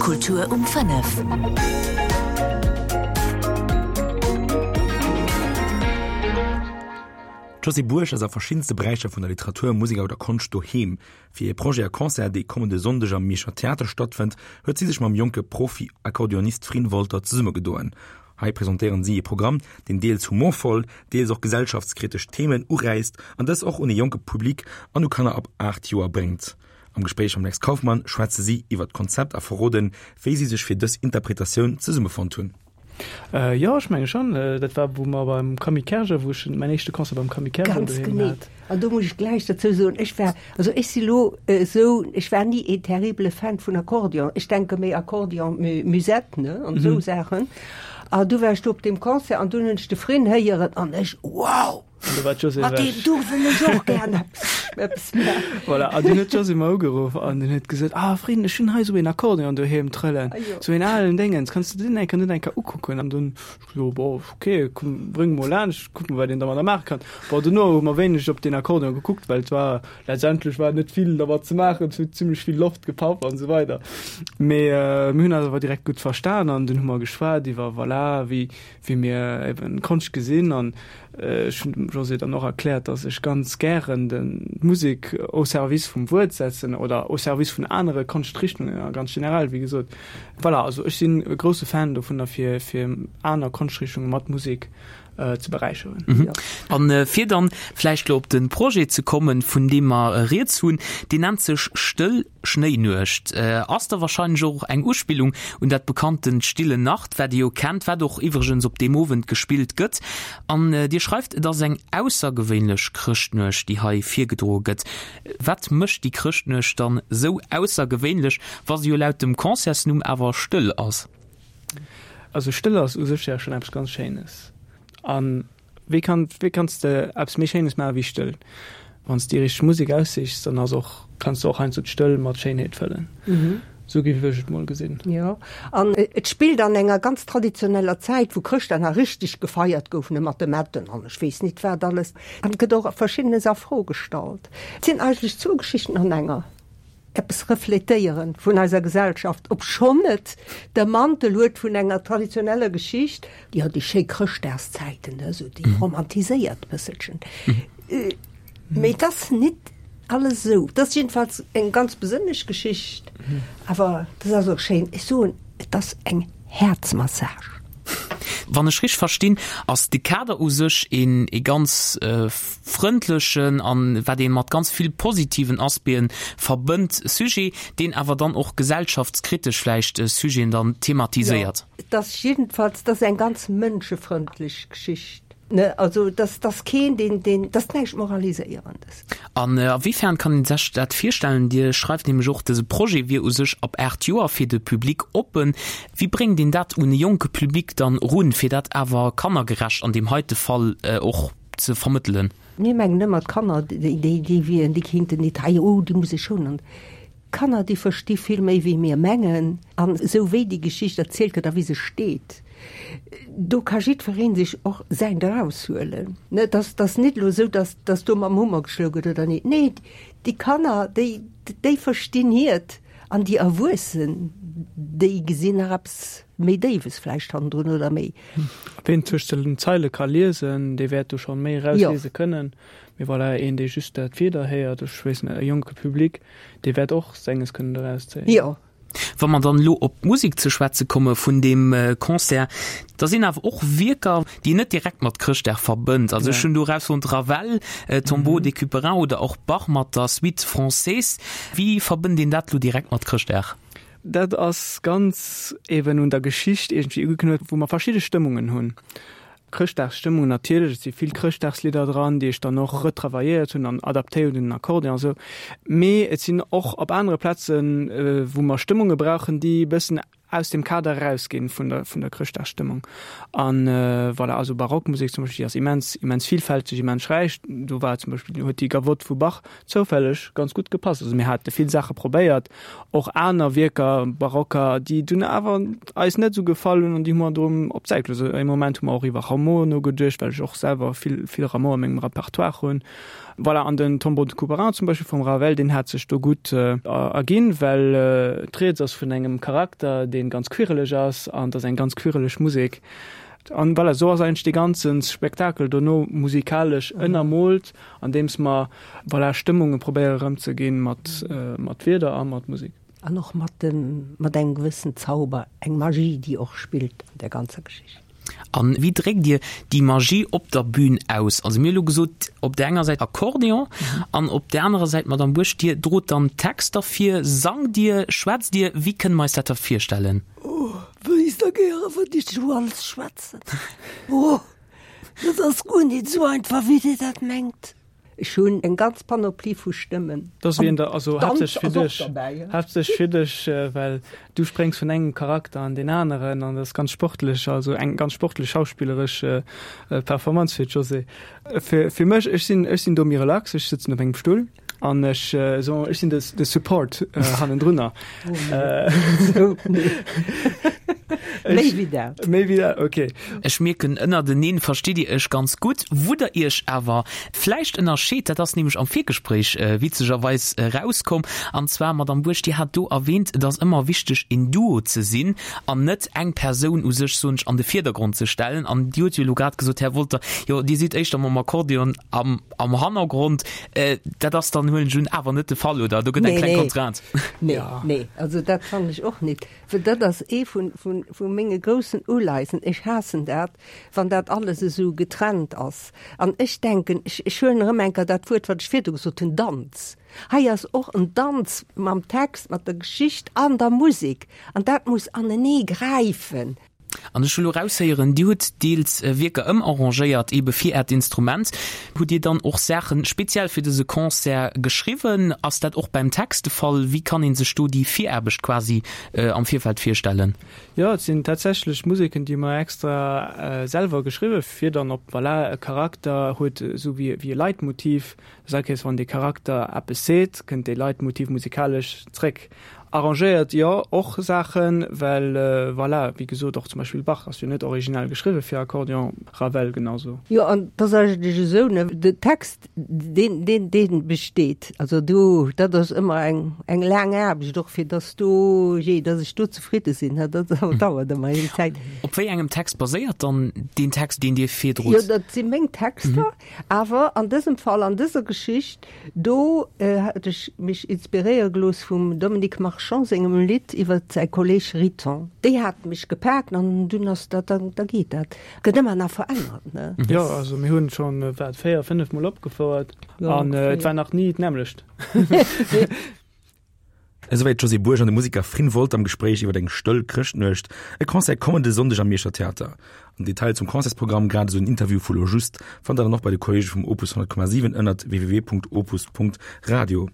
Kultur um 5. D'Josée Bourg ass a verschiddenste Beräicher vun der Literatur, Musek oder Konscht doheem. Fir hir Projet a Concert, dee kommende Sonndeg am Mierscher Theater stattfënnt, huet si sech mam jonke Profi-Akkordeonist Frin Wolter zesummegedoen. Hei presentéieren si ee Programm, deen deels humorvoll, deels och gesellschaftskritesch Themen uräisst an dës och un ee jonke Public an u Kanner ab 8 Joer bréngt. Am Gespréich mam Lex Kauffmann schwätze si iwwer d'Konzept a verroden, wéi si sech fir dës Interpretatioun zesummefonnt hunn. Jo, ech menge schonn. Dat war, wou mer beim Camille Kerger, wou ech mäin éischte Concert beim Camille Kerger Ganz doheem genee. hat. An do muss ech gläich dozou soen, ech war, also ech si lo esou, ech war ni een terribele Fan vun Akkordeon. Ech denke méi Akkordeon Musette, ne, an esou Saachen. An du war ech do op deem Concert an dunn hunn ech de Frin héieren an ech, wow! An do war d'Josée Mat deem ewech. do wëll ech och gären eppes, eppes maachen. Voilà, an dunn huet d'Josée mer ugeruff an dunn huet gesot, Ah Frin, ech hunn hei esou een Akkordeon doheem trëllen, Ah jo. esou een alen Déngens, kanns de deen eng Kéier net eng Kéier ukucken? An dunn ech gesot, Bon, ok, komm, bréng mol laanscht, kucke mer, wat een dermadder maache kann. Bon, dono hu mer wéineg op deen Akkordeon gekuckt, well et war, letztendlech war net vill dermat ze maachen, et huet zimlech vill Loft gepaff an esou weider. Mee mir hunn eis awer direkt gutt verstan an dunn hu mer geschwat iwwer, voilà, wéi, wéi mir eben Konscht gesinn an ech hunn dem José dann och erkläert, dass ech ganz gären den d'Musek au service vum Wuert setzen oder au service vun anere Konschtrichtungen a ganz generell, wéi gesot. Voilà, also ech sinn e grousse Fan dovunner fir fir aner Konschtrichtunge mat Musek ze beräicheren. An fir dann vläicht lo op de Projet ze kommen, vun deem mer rieds hunn, deen nennt sech Stëll Schnéinuecht ass da wahrscheinlech och eng Uspillung un dat bekanntent Stille Nacht, wat Dir jo kennt, wat och iwwregens op deem Owend gespillt gëtt. An Dir schreift, et ass eng aussergewéinlech Chrëschtnuecht, déi hei virgedroe gëtt. Wat mécht déi Chrëschtnuecht dann esou aussergewéinlech, wa se jo laut dem Concertsnumm awer stëll ass? Also stëll ass u sech ja schonn eppes ganz Schéines. An Wéi kann, wéi kanns de eppes méi Schéines maache wéi Stëll? Wann s de déi richteg Musek aussichs, dann ass och, kanns de och heiansdo d'Stëll mat Schéinheet fëllen. Esou géif ech et mol gesinn. Jo, an et spillt an enger ganz traditioneller Zäit, wou Chrëschtdag nach richteg gefeiert gouf, ne, mat de Metten an ech weess nit wat alles. An et gëtt och Verschiddenes a Fro gestallt. Et sinn eigentlech zwou Geschichten an enger. Eppes refletéieren vun eiser Gesellschaft, obschonn et de Mantel huet vun enger traditioneller Geschicht, jo déi schéi Chrëschtdagszäiten, ne, esou déi romantiséiert bësselchen. Mee et ass nit alles esou. Et ass jiddefalls eng ganz besënnlech Geschicht, awer et ass och schéin. Ech soen, et ass eng Häerzmassage. Wann ech richteg verstinn, ass de Kader u sech een ee ganz frëndlechen an wat ee mat ganz vill positiven Aspecten verbënnt Sujet, deen awer dann och gesellschaftskritesch vläicht Sujeten dann thematiséiert. Jo, et ass jiddefalls, et ass eng ganz mënschefrëndlech Geschicht. Ne, also dass dass keen deen deen dass näischt Moraliséierendes. An a wéi fern kann een sech dat virstellen? Dir schreift nämlech och, dëse Projet wier u sech ab 8 Joer fir de Public oppen. Wéi bréngt een dat un e jonke Public dann erun, fir dat awer kannergerecht an deem heite Fall och ze vermëttelen? Mir mengen ëmmer, d'Kanner déi déi déi wieren, déi kéinten nit hei, oh déi muss ech schonen. D'Kanner, déi versti vill méi wéi mir mengen. An esou wéi déi Geschicht erzielt gëtt a wéi se steet, do ka jiddweree sech och säint eraushuelen. Et ass, et ass nit elo esou, datt, datt do mam Hummer geschloe gëtt oder nit. Nee, déi Kanner, déi, déi verstinn hiert an déi Erwuessen, déi gesinn nach eppes méi Déiwes vläicht hannendrun oder méi. Ween tëscht den Zeile ka liesen, dee wäert do scho méi erausliese kënnen. Mee voilà, een dee just dat Wieder héiert, ech weess net, e jonke Public, dee wäert och senges kënnen doraus zéien. Jo. Wa mer dann elo op d'Musek ze schwätze komme vun deem Concert, da sinn awer och Wierker, déi een net direkt mat Chrëschtdag verbënnt. Also ech hunn do erausfonnt, Ravel, Tombeau des Couperins oder och Bach mat der Suite Française. Wéi verbënnt een dat elo direkt mat Chrëschtdag? Dat ass ganz eben un der Geschicht iergendwéi ugeknëppt, wou mer verschidde Stëmmungen hunn. Chrëschtdagsstëmmung natierlech, et si vill Chrëschtdagslidder dran, déi ech dann och retravailléiert hunn an adaptéiert un den Akkordeon a sou. Mee et sinn och op anere Plazen, wou mer Stëmmunge brauchen, déi e bëssen aus dem Kader erausginn vun der, vun der Chrëschtdagsstëmmung. An voilà, also Barockmusek zum Beispill, déi ass immens, immens villfälteg, immens räich. Do war zum Beispill, huet déi Gavotte vu Bach zoufälleg ganz gutt gepasst. Also mir hate vill Saache probéiert, och aner Wierker, barocker, déi dunn awer eis net esou gefall hunn an déi hu mer drëm op d'Säit gelooss. Ee Moment hu mer och iwwer Rameau nogeduecht, well ech och selwer vill, vill Rameau a mengem Repertoire hunn. Voilà, an den Tombeau de Couperin zum Beispill vum Ravel, deen hat sech do gutt erginn, well d'Rieds ass vun engem Charakter, dee ganz quirreleg ass, an et ass eng ganz quirreleg Musek. An voilà, esou ass eigentlech dee ganze Spektakel dono musikalesch ënnermoolt, andeems mer, voilà, Stëmmunge probéiere erëmzeginn mat, mat Wierder a mat Musek. An och mat dem, mat engem gewëssen Zauber, eng Magie, déi och spillt an där ganzer Geschicht. An wéi dréckt Dir déi Magie op der Bühn aus? Also mir hu lo gesot, op där enger Säit Akkordeon an op där anerer Säit d'Madame Buerg. Dir drot dann Texter vir, sangt Dir, schwätzt Dir? Wéi kënne mer eis dat da virstellen? Oh, wéisst Der gäre wat ech esou alles schwätzen? Oh, dat ass guer nit esou einfach, wéi Dir dat mengt. Ech hunn eng ganz Panoplie vu Stëmmen. Dat ass wéi en der, also haaptsächlech fir dech, haaptsächlech fir dech, well du spréngs vun engem Charakter an deen aneren an dat ass ganz sportlech, also eng ganz sportlech schauspilleresch Performance fir d'Josée. Fir, fir mech, ech sinn, ech sinn do méi relax, ech sëtzen op engem Stull an ech so, ech sinn de, de Support hannendrunner. Méi wéi dat. Méi wéi dat, ok. Ech mierken, ënnerteneen verstitt Dir Iech ganz gutt. Wou Der Iech awer vläicht ënnerscheet, dat ass nämlech am Virgespréich witzegerweis erauskomm, an zwar, Madamm Buerg, Dir hat do erwähnt, et ass ëmmer wichteg, en Duo ze sinn an net eng Persoun u sech, soen ech, an de Virdergrond ze stellen. An Dir hutt jo elo grad gesot, Här Wolter, jo, Dir sidd éischter mam Akkordeon am, am Hannergrond. Dat ass dann, huelen ech un, awer net de Fall, oder? Do gëtt eng kleng Contrainte. Nee, nee, also dat fannen ech och net. Well dat ass ee vun, vun, vu menge groussen Uleisen. Ech haassen dat, wann dat alles esou getrennt ass. An ech denken, ech, ech huelen erëm eng Kéier dat Wuert, wat ech virdu gesot hunn, Danz. Hei ass och en Danz mam Text, mat der Geschicht an der Musek. An dat muss anenee gräifen. An ech hu lo raushéieren, Dir hutt deels Wierker ëmarrangéiert, ebe fir Äert Instrument. Hutt Dir dann och Saache speziell fir dëse Concert geschriwwen? Ass dat och beim Text de Fall? Wéi kann ee sech do déi Viraarbecht quasi am Virfeld virstellen? Jo, et sinn tatsächlech Museken, déi mer extra selwer geschriwwe fir dann op, voilà, e Charakter huet esou wéi e Leitmotiv, Das heescht, wann dee Charakter eppes seet, kënnt dee Leitmotiv musikalesch zréck. Arrangéiert, jo, och Saachen, well voilà, wéi gesot, och zum Beispill Bach ass jo net originell geschriwwe fir Akkordeon, Ravel genau sou. Jo, an et ass eigentlech esou, ne, den Text, deen, deen, dee besteet. Also do, dat ass ëmmer eng, eng laang Aarbecht och, fir dass do, jee, dass ech do zefridde sinn, dat dauert ëmmer eng Zäit. Op wéi engem Text baséiert dann deen Text, deen Dir virdrot? Jo, dat si meng Texter. Awer an dësem Fall, an dëser Geschicht do, hat ech mech inspiréiere gelooss vum Dominique Marchand sengem Lidd iwwer säi Kolleg Riton. Déi hat mech gepaakt an dunn ass dat, da da geet dat. Gëtt ëmmer nach verännert, ne? Jo, also mir hunn schonn, wat, 4, 5 Mol opgefouert an et war nach ni d'nämmlecht. Esouwäit d'Josée Bourg an de Museker Frin Wolter am Gespréich iwwer eng stëll Chrëschtnuecht, e Concert kommende Sonndeg am Mierscher Theater. An Detail zum Concertsprogramm, grad esou en Interview vu lo just, fannt der dann och bei de Kollege vum Opus 100,7 ënnert www.opus.radio.